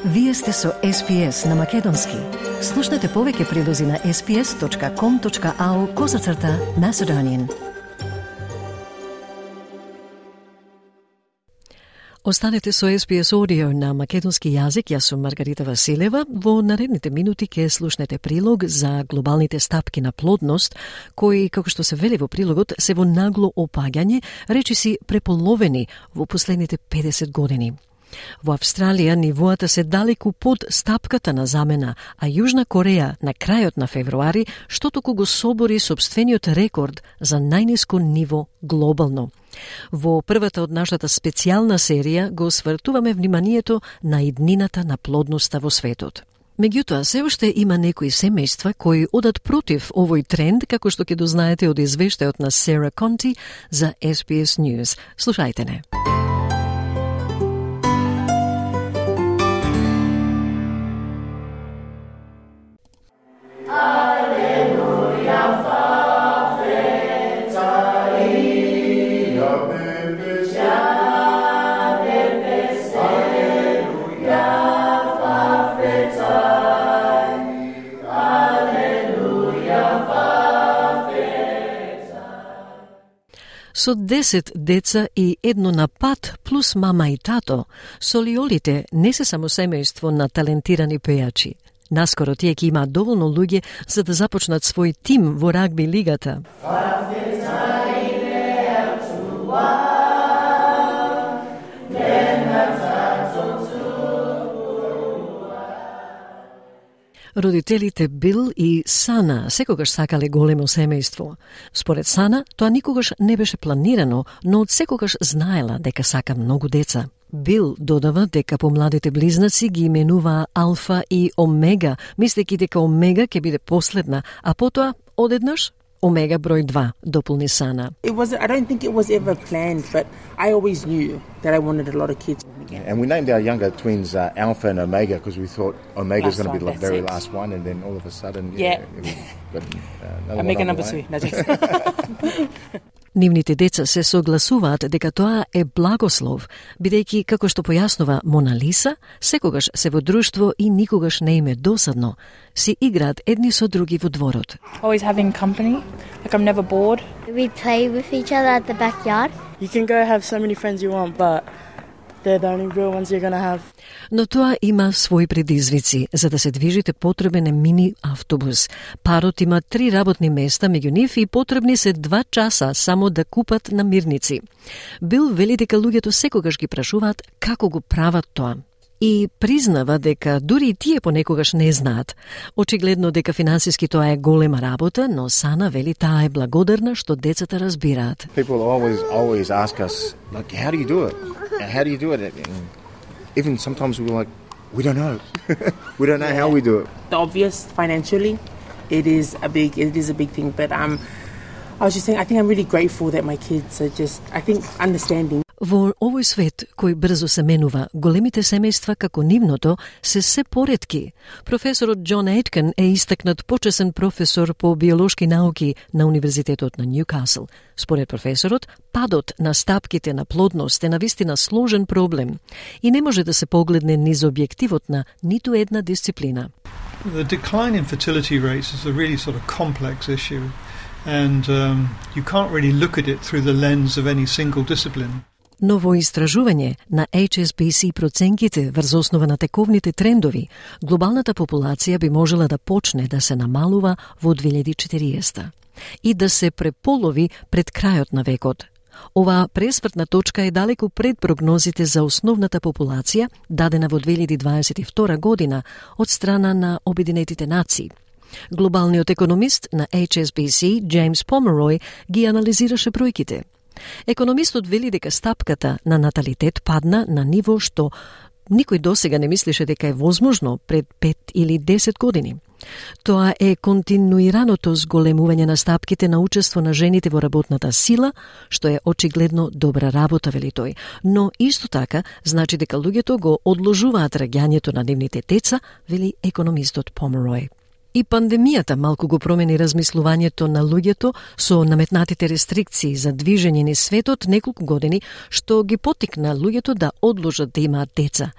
Вие сте со SPS на Македонски. Слушнете повеќе прилози на sps.com.au/Macedonian. Останете со SPS Audio на македонски јазик. Јас сум Маргарита Василева. Во наредните минути ќе слушнете прилог за глобалните стапки на плодност, кои, како што се вели во прилогот, се во нагло опаѓање, речиси преполовени во последните 50 години. Во Австралија нивоата се далеку под стапката на замена, а Јужна Кореја на крајот на февруари што току го собори сопствениот рекорд за најниско ниво глобално. Во првата од нашата специјална серија го свртуваме вниманието на иднината на плодноста во светот. Меѓутоа, се уште има некои семејства кои одат против овој тренд, како што ќе дознаете од извештајот на Сара Конти за SBS News. Слушајте не. Со 10 деца и едно на пат плюс мама и тато, Солиолите не се само семејство на талентирани пејачи. Наскоро тие ќе имаат доволно луѓе за да започнат свој тим во рагби лигата. Родителите Бил и Сана секогаш сакале големо семејство. Според Сана, тоа никогаш не беше планирано, но од секогаш знаела дека сака многу деца. Бил додава дека помладите близнаци ги именуваа Алфа и Омега, мислејќи дека Омега ќе биде последна, а потоа одеднаш Омега број 2, дополни Сана. I don't think it was ever planned, but I always knew that I wanted a lot of kids. And we named our younger twins Alpha and Omega because we thought Omega was going to be the very last one, and then all of a sudden, we got Omega number 2. Нивните деца се согласуваат дека тоа е благослов, бидејќи, како што појаснува Мона Лиса, секогаш се во друштво и никогаш не им е досадно. Си играат едни со други во дворот. Always having company, like I'm never bored. We play with each other at the backyard. You can go have so many friends you want, but they're the only real ones you're gonna have. Но тоа има своји предизвици. За да се движите потребен е мини автобус. Парот има 3 работни места, меѓу нив и потребни се 2 часа само да купат намирници. Бил вели дека луѓето секогаш ги прашуваат како го прават тоа. И признава дека дури и тие понекогаш не знаат. Очигледно дека финансиски тоа е голема работа, но Сана вели таа е благодарна што децата разбираат. People always ask us, like, how do you do it? How do you do it? And even sometimes we're like, we don't know. We don't know how we do it. The obvious financially, it is a big thing, but I was just saying, I think I'm really grateful that my kids are just, I think, understanding. Во овој свет кој брзо се менува, големите семејства како нивното се поретки. Професорот Џон Ейткен е истакнат почесен професор по биолошки науки на Универзитетот на Нјукасл. Според професорот, падот на стапките на плодност е навистина сложен проблем и не може да се погледне низ објективот на ниту една дисциплина. The decline in fertility rates is a really sort of complex issue, and you can't really look at it through the lens of any single discipline. Но во истражување на HSBC проценките врз основа на тековните трендови, глобалната популација би можела да почне да се намалува во 2040 и да се преполови пред крајот на векот. Оваа пресвртна точка е далеку пред прогнозите за основната популација, дадена во 2022 година од страна на Обединетите нации. Глобалниот економист на HSBC, Джеймс Померој, ги анализираше бројките. Економистот вели дека стапката на наталитет падна на ниво што никој досега не мислеше дека е возможно пред 5 или 10 години. Тоа е континуираното зголемување на стапките на учество на жените во работната сила, што е очигледно добра работа, вели тој. Но исто така значи дека луѓето го одложуваат раѓањето на нивните деца, вели економистот Померој. И пандемијата малку го промени размислувањето на луѓето со наметнатите рестрикции за движење низ светот неколку години, што ги поттикна луѓето да одложат да имаат деца.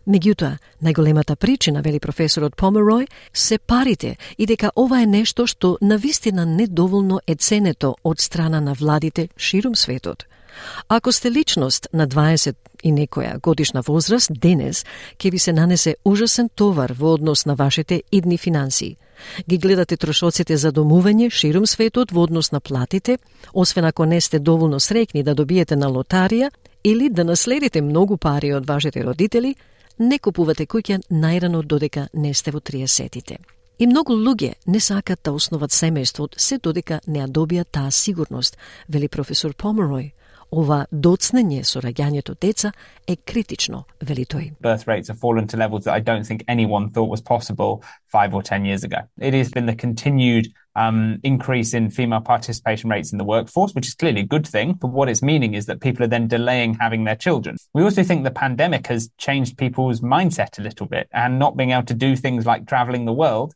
Меѓутоа, најголемата причина, вели професорот Померој, се парите и дека ова е нешто што навистина недоволно е ценето од страна на владите ширум светот. Ако сте личност на 20 и некоја годишна возраст, денес ќе ви се нанесе ужасен товар во однос на вашите идни финансии. Ги гледате трошоците за домување ширум светот во однос на платите, освен ако не сте доволно среќни да добиете на лотарија или да наследите многу пари од вашите родители, не купувате куќа најрано додека не сте во 30-тите. И многу луѓе не сакат да основат семејство се додека не ја добијат таа сигурност, вели професор Померој. Ова доцнење со раѓањето деца е критично, вели тој. Birth rates have fallen to levels that I don't think anyone thought was possible 5 or 10 years ago. It has been the continued increase in female participation rates in the workforce, which is clearly a good thing, but what it's meaning is that people are then delaying having their children. We also think the pandemic has changed people's mindset a little bit, and not being able to do things like traveling the world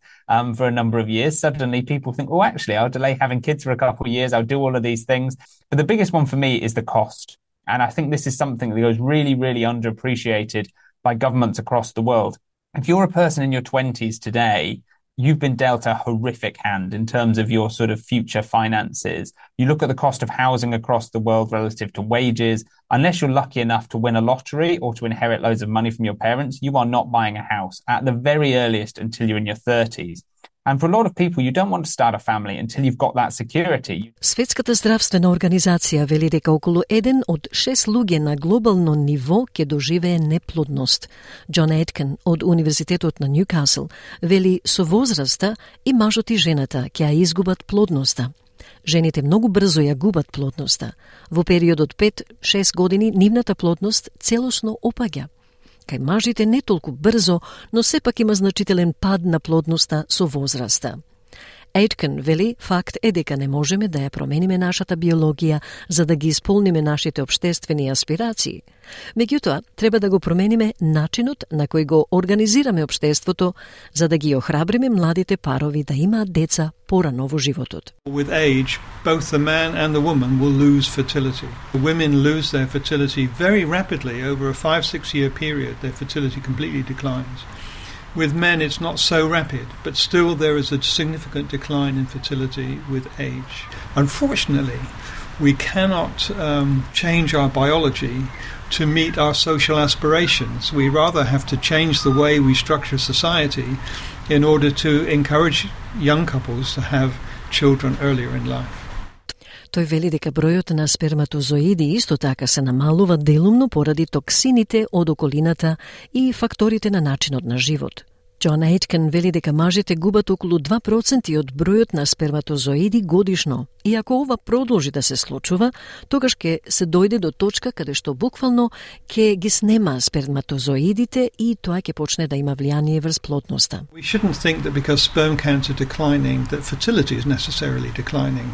for a number of years, suddenly people think, oh, actually, I'll delay having kids for a couple of years, I'll do all of these things. But the biggest one for me is the cost. And I think this is something that goes really, really underappreciated by governments across the world. If you're a person in your 20s today, you've been dealt a horrific hand in terms of your sort of future finances. You look at the cost of housing across the world relative to wages. Unless you're lucky enough to win a lottery or to inherit loads of money from your parents, you are not buying a house at the very earliest until you're in your 30s. And for a lot of people, you don't want to start a family until you've got that security. Светската здравствена организација вели дека околу 1 од 6 луѓе на глобално ниво ќе доживее неплодност. Џон Ейткен од Универзитетот на Ньюкасл вели со возраста и мажот и жената ќе ја изгубат плодноста. Жените многу брзо ја губат плодноста. Во периодот 5-6 години нивната плодност целосно опаѓа. Кај мажите не толку брзо, но сепак има значителен пад на плодноста со возраста. Ейткен вели, факт е дека не можеме да ја промениме нашата биологија за да ги исполниме нашите општествени аспирации. Меѓутоа, треба да го промениме начинот на кој го организираме општеството за да ги охрабриме младите парови да имаат деца порано во животот. With age, both the man and the woman will lose fertility. The women lose their fertility very rapidly over a 5-6 year period. Their fertility completely declines. With men, it's not so rapid, but still there is a significant decline in fertility with age. Unfortunately, we cannot change our biology to meet our social aspirations. We rather have to change the way we structure society in order to encourage young couples to have children earlier in life. Тој вели дека бројот на сперматозоиди исто така се намалува делумно поради токсините од околината и факторите на начинот на живот. Џон Ейткен вели дека мажите губат околу 2% од бројот на сперматозоиди годишно. И ако ова продолжи да се случува, тогаш ќе се дојде до точка каде што буквално ќе ги снема сперматозоидите и тоа ќе почне да има влијание врз плодноста. We shouldn't think that because sperm counts are declining that fertility is necessarily declining.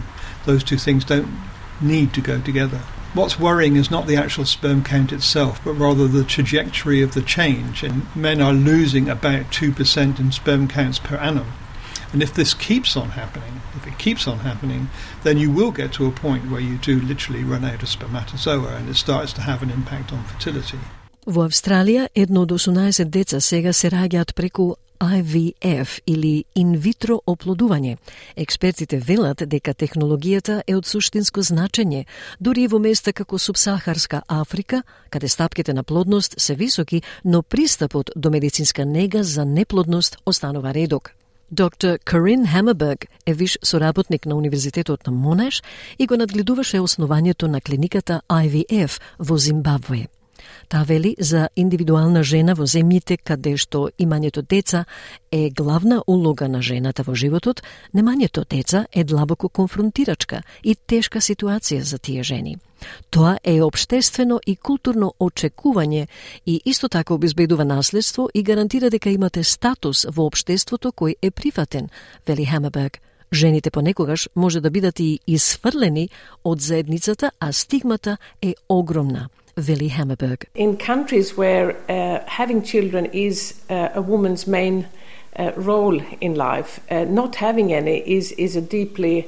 Those two things don't need to go together. What's worrying is not the actual sperm count itself, but rather the trajectory of the change. And men are losing about 2% in sperm counts per annum. And if this keeps on happening, then you will get to a point where you do literally run out of spermatozoa and it starts to have an impact on fertility. Во Австралија, 1 од 18 деца сега се раѓаат преку IVF или инвитро оплодување. Експертите велат дека технологијата е од суштинско значење, дури и во места како субсахарска Африка, каде стапките на плодност се високи, но пристапот до медицинска нега за неплодност останува редок. Доктор Карин Хамерберг е виш соработник на Универзитетот на Монаш и го надгледуваше основањето на клиниката IVF во Зимбабве. Таа вели за индивидуална жена во земјите каде што имањето деца е главна улога на жената во животот, немањето деца е длабоко конфронтирачка и тешка ситуација за тие жени. Тоа е општествено и културно очекување и исто така обезбедува наследство и гарантира дека имате статус во општеството кој е прифатен, вели Хамерберг. Жените понекогаш може да бидат и исфрлени од заедницата, а стигмата е огромна. Vili Hammerberg. In countries where having children is a woman's main role in life, not having any is a deeply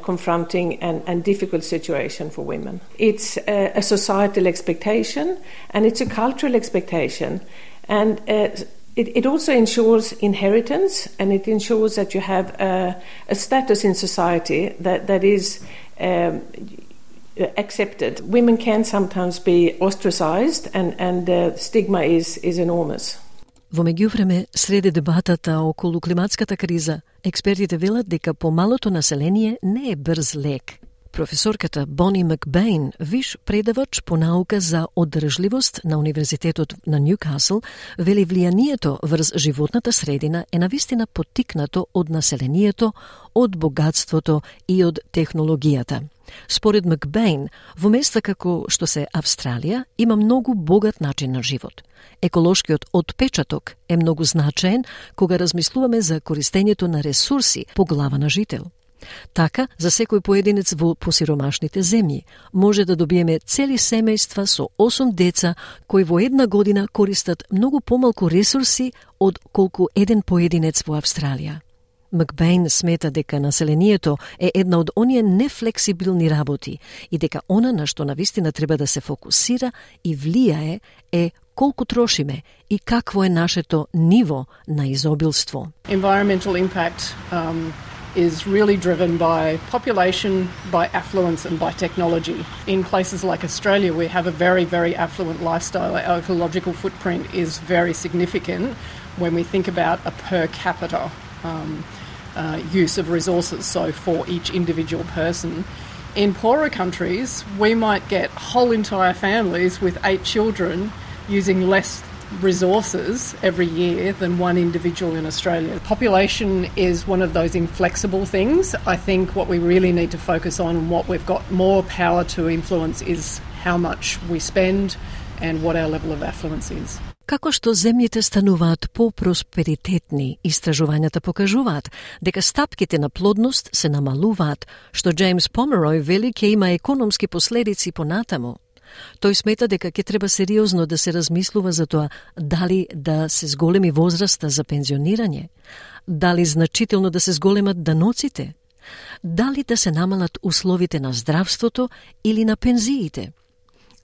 confronting and difficult situation for women. It's a societal expectation and it's a cultural expectation And it also ensures inheritance, and it ensures that you have a status in society that is accepted. Women can sometimes be ostracized, and the stigma is enormous. Во меѓувреме, среде дебатата околу климатската криза, експертите велат дека помалото население не е брз лек. Професорката Бони Макбейн, виш предавач по наука за одржливост на Универзитетот на Ньюкасл, вели влијанието врз животната средина е навистина поттикнато од населението, од богатството и од технологијата. Според Макбейн, во места како што се Австралија, има многу богат начин на живот. Еколошкиот отпечаток е многу значаен кога размислуваме за користењето на ресурси по глава на жител. Така, за секој поединец во посиромашните земји може да добиеме цели семејства со 8 деца кои во една година користат многу помалку ресурси од колку еден поединец во Австралија. Макбейн смета дека населението е една од оние нефлексибилни работи и дека она на што навистина треба да се фокусира и влијае е колку трошиме и какво е нашето ниво на изобилство. Environmental impact is really driven by population, by affluence and by technology. In places like Australia, we have a very, very affluent lifestyle. Our ecological footprint is very significant when we think about a per capita use of resources, so for each individual person. In poorer countries, we might get whole entire families with 8 children using less resources every year than one individual in Australia. Population is one of those inflexible things. I think what we really need to focus on and what we've got more power to influence is how much we spend and what our level of affluence is. Како што земјите стануваат по-просперитетни, истражувањата покажуваат дека стапките на плодност се намалуваат, што Джеймс Померој вели ќе има економски последици понатаму. Тој смета дека ќе треба сериозно да се размислува за тоа дали да се зголеми возраста за пензионирање, дали значително да се зголемат даноците, дали да се намалат условите на здравството или на пензиите.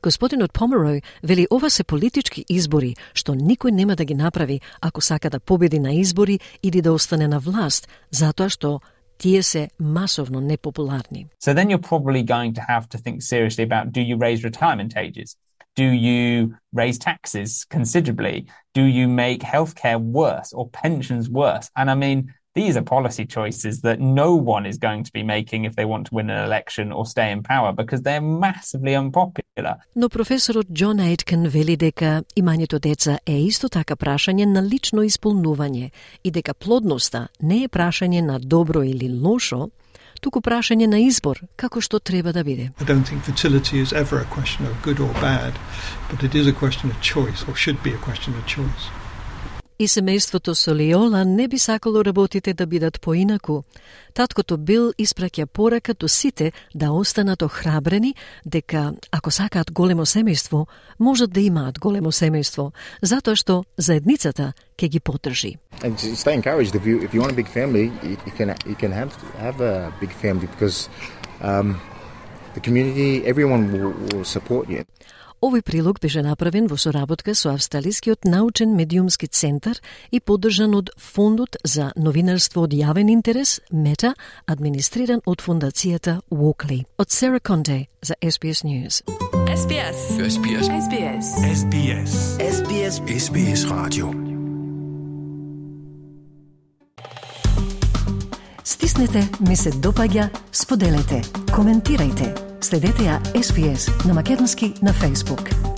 Господинот Померој вели ова се политички избори, што никој нема да ги направи ако сака да победи на избори или да остане на власт, затоа што тие се масовно непопуларни. So then you're probably going to have to think seriously about, do you raise retirement ages? Do you raise taxes considerably? Do you make healthcare worse or pensions worse? And I mean, these are policy choices that no one is going to be making if they want to win an election or stay in power because they're massively unpopular. Но професорот Џон Ейткен вели дека имањето деца е исто така прашање на лично исполнување и дека плодноста не е прашање на добро или лошо, туку прашање на избор, како што треба да биде. I don't think fertility is ever a question of good or bad, but it is a question of choice, or should be a question of choice. И семејството Солиола не би сакало работите да бидат поинаку. Таткото Бил испраќа порака до сите да останат охрабрени дека ако сакаат големо семејство, можат да имаат големо семејство, затоа што заедницата ќе ги поддржи. And stay encouraged. If you want a big family, you can have a big family because the community, everyone will support you. Овој прилог беше направен во соработка со Австралискиот научен медиумски центар и поддржан од Фондот за новинарство од јавен интерес, Мета, администриран од фондацијата Walkley. Од Сера Конте за SBS News. SBS. SBS. SBS. SBS. SBS. SBS Radio. Стиснете, ми се допаѓа, споделете, коментирајте. Следете ја SBS на македонски на Facebook.